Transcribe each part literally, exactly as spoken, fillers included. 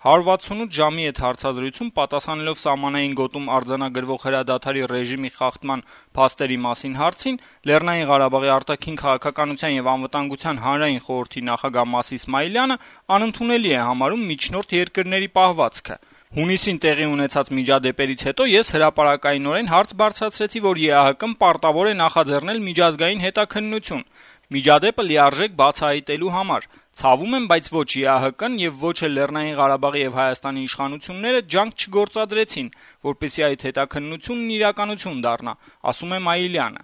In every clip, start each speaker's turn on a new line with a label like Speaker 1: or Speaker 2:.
Speaker 1: հարյուր վաթսունութ ժամի հետ հարցազրույցում պատասխանելով սահմանային գոտում արձանագրվող հրադադարի ռեժիմի խախտման փաստերի մասին հարցին, Լեռնային Ղարաբաղի արտաքին քաղաքականության եւ անվտանգության հանրային խորհրդի նախագահ Մաս Իսմայիլյանը անընդունելի է համարում միջնորդ երկրների պահվածքը։ Հունիսին տեղի ունեցած միջադեպերից հետո ես հրապարակայնորեն հարց բարձրացրեցի, որ ԵԱՀԿ-ն պարտավոր է նախաձեռնել միջազգային հետաքննություն միջադեպը լիարժեք բացահայտելու համար։ Ցավում եմ, բայց ոչ ԵԱՀԿ-ն եւ ոչ էլ Լեռնային Ղարաբաղի եւ Հայաստանի իշխանությունները ջանք չգործադրեցին, որպեսզի այդ հետաքննությունն իրականություն դառնա, ասում է Մայիլյանը։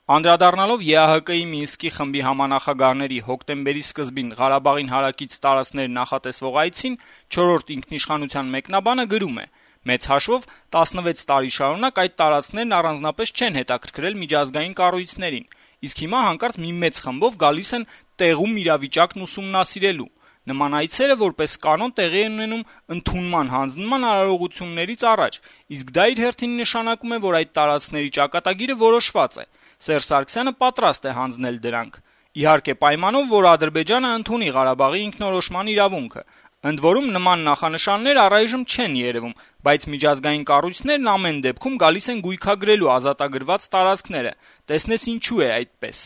Speaker 1: Անդրադառնալով ԵԱՀԿ-ի Մինսկի խմբի համանախագահների հոկտեմբերի սկզբին Ղարաբաղին հարակից տարածքներ նախատեսվող այցին, չորրորդ ինքնիշխանության մեկնաբանը գրում է. «Մեծ հաշվով տասնվեց տարի շարունակ այդ տարածքներն առանձնապես չեն հետաքրքրել միջազգային կառույցներին, իսկ հիմա հանկարծ մի մեծ խմբով գալիս են տեղում իրավիճակն ուսումնասիրելու։ Նման այցերը որպես կանոն տեղի են ունենում ընդունման հանձնման արարողություններից առաջ, իսկ դա իր հերթին նշանակում է, որ այդ տարածքների ճակատագիրը որոշված է։ Սերժ Սարգսյանը պատրաստ է հանձնել դրանք։ Իհարկե պայմանով, որ Ադրբեջանը ընդունի Ղարաբաղի ինքնորոշման իրավունքը։ Ընդ որում նման նախանշաններ առայժմ չեն երևում, բայց միջազգային կառույցներն ամեն դեպքում գալիս են գույքագրելու ազատագրված տարածքները։ Տեսնես ինչու է այդպես»։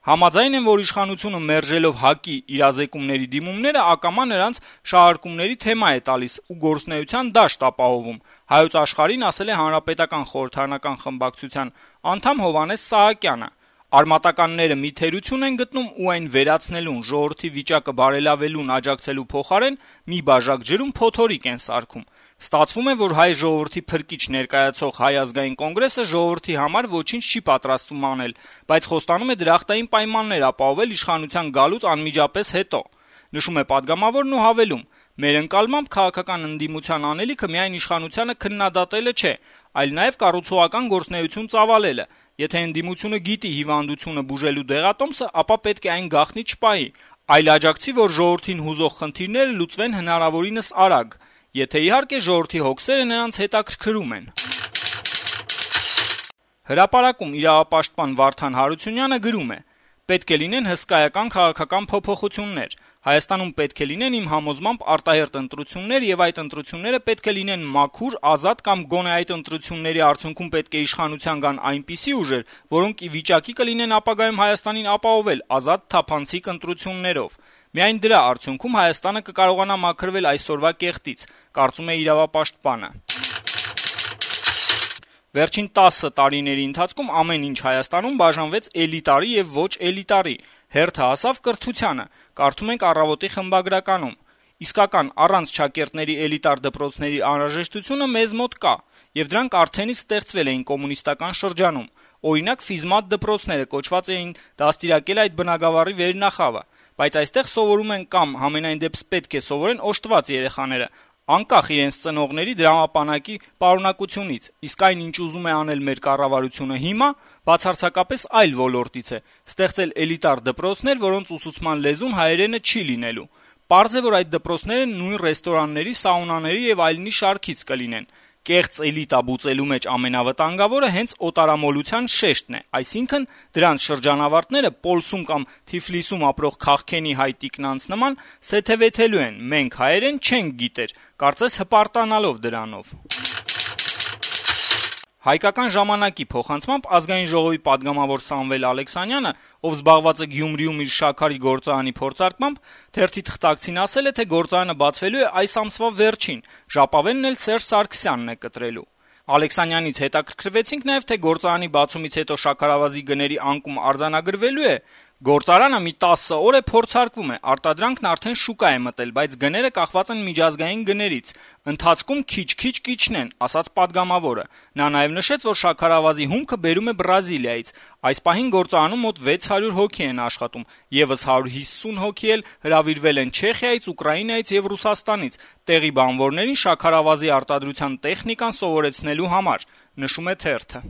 Speaker 1: Համաձայն են, որ իշխանությունը մերժելով ՀԱԿ-ի իրազեկումների դիմումները ակամա նրանց շահարկումների թեմա է տալիս ու գործունեության դաշտ ապահովում։ Հայոց Աշխարհին ասել է Հանրապետական խորհրդարանական խմբակցության անդամ Հովհաննես Սահակյանը։ Արմատականները մի թերություն են գտնում ու այն վերացնելուն, ժողովրդի վիճակը բարելավելուն աջակցելու փոխարեն մի բաժակ ջրում փոթորիկ են սարքում։ Ստացվում է, որ հայ ժողովրդի փրկիչ ներկայացող Հայ ազգային կոնգրեսը ժողովրդի համար ոչինչ չի պատրաստվում անել, բայց խոստանում է դրախտային պայմաններ ապահովել իշխանության գալուց անմիջապես հետո։ Նշում է պատգամավորն ու հավելում. «Մեր ընկալմամբ քաղաքական ընդդիմության անելիքը միայն իշխանությանը քննադատելը չէ, այլ նաև կառուցողական գործունեություն ծավալելը։ Եթե ընդդիմությունը գիտի հիվանդությունը բուժելու դեղատոմսը, ապա պետք է այն գաղտնի չպահի, այլ աջակցի, որ ժողովրդին հուզող խնդիրները լուծվեն հնարավորինս արագ, եթե իհարկե ժողովրդի հոգսերը նրանց հետաքրքրում են»։ Հրապարակում իրավապաշտպան Վարդան Հարությունյանը գրում է. «Պետք է լինեն հսկայական քաղաքական փոփոխություններ։ Հայաստանում պետք է լինեն իմ համոզմամբ արտահերթ ընտրություններ եւ այդ ընտրությունները պետք է լինեն մաքուր, ազատ կամ գոնե այդ ընտրությունների արդյունքում պետք է իշխանության գան այնպիսի ուժեր, որոնք ի վիճակի կլինեն ապագայում Հայաստանին ապահովել ազատ թափանցիկ ընտրություններով։ Միայն դրա արդյունքում Հայաստանը կկարողանա մաքրվել այսօրվա կեղտից», կարծում է իրավապաշտպանը։ Վերջին տասը տարիների ընթացքում ամեն ինչ Հայաստանում բաժանվեց էլիտարի եւ ոչ էլիտարի, հերթը հասավ կրթությանը, կարդում ենք «Առավոտ»-ի խմբագրականում։ Իսկական առանց չակերտների էլիտար դպրոցների անհրաժեշտությունը մեզ մոտ կա, եւ դրանք արդենից ստեղծվել էին կոմունիստական շրջանում։ Օրինակ ֆիզմատ դպրոցները կոչված էին դաստիարակել այդ բնագավառի վերնախավը, բայց այստեղ սովորում են կամ համենայն դեպս պետք է սովորեն օժտված երեխաները, անկախ իրենց ծնողների դրամապանակի պարունակությունից, իսկ այն, ինչ ուզում է անել մեր կառավարությունը հիմա, բացարձակապես այլ ոլորտից է՝ ստեղծել էլիտար դպրոցներ, որոնց ուսուցման լեզուն հայերենը չի լինելու։ Պարզ է, որ այդ դպրոցները նույն ռեստորանների, սաունաների եւ այլնի շարքից կլինեն։ Կեղծ էլիտա բուծելու մեջ ամենավտանգավորը հենց օտարամոլության շեշտն է, այսինքն դրանց շրջանավարտները Պոլսում կամ Թիֆլիսում ապրող քաղքենի հայ տիկնանց նման սեթեվեթելու են, մենք հայերեն չենք գիտեր, կարծես հպարտանալով դրանով։ Հայկական ժամանակի փոխանցմամբ Ազգային ժողովի պատգամավոր Սամվել Ալեքսանյանը, ով զբաղված է Գյումրիում իր շաքարի գործարանի փորձարկմամբ, թերթի թղթակցին ասել է, թե գործարանը բացվելու է այս ամսվա վերջին, ժապավենն էլ Սերժ Սարգսյանն է կտրելու։ Ալեքսանյանից հետաքրքրվեցինք նաև, թե գործարանի բացումից հետո շաքարավազի գների անկում արձանագրվելու է։ Գործարանը մի տասը օր է փորձարկվում է, արտադրանքն արդեն շուկա է մտել, բայց գները կախված են միջազգային գներից։ Ընթացքում քիչ-քիչ կիջնեն, ասաց պատգամավորը։ Նա նաև նշեց, որ շաքարավազի հումքը բերում է Բրազիլիայից։ Այս պահին գործարանում մոտ վեց հարյուր հոգի են աշխատում, եւս հարյուր հիսուն հոգի էլ հրավիրվել են Չեխիայից, Ուկրաինայից եւ Ռուսաստանից, տեղի բանվորներին շաքարավազի արտադրության տեխնիկան սովորեցնելու համար, նշում է թերթը։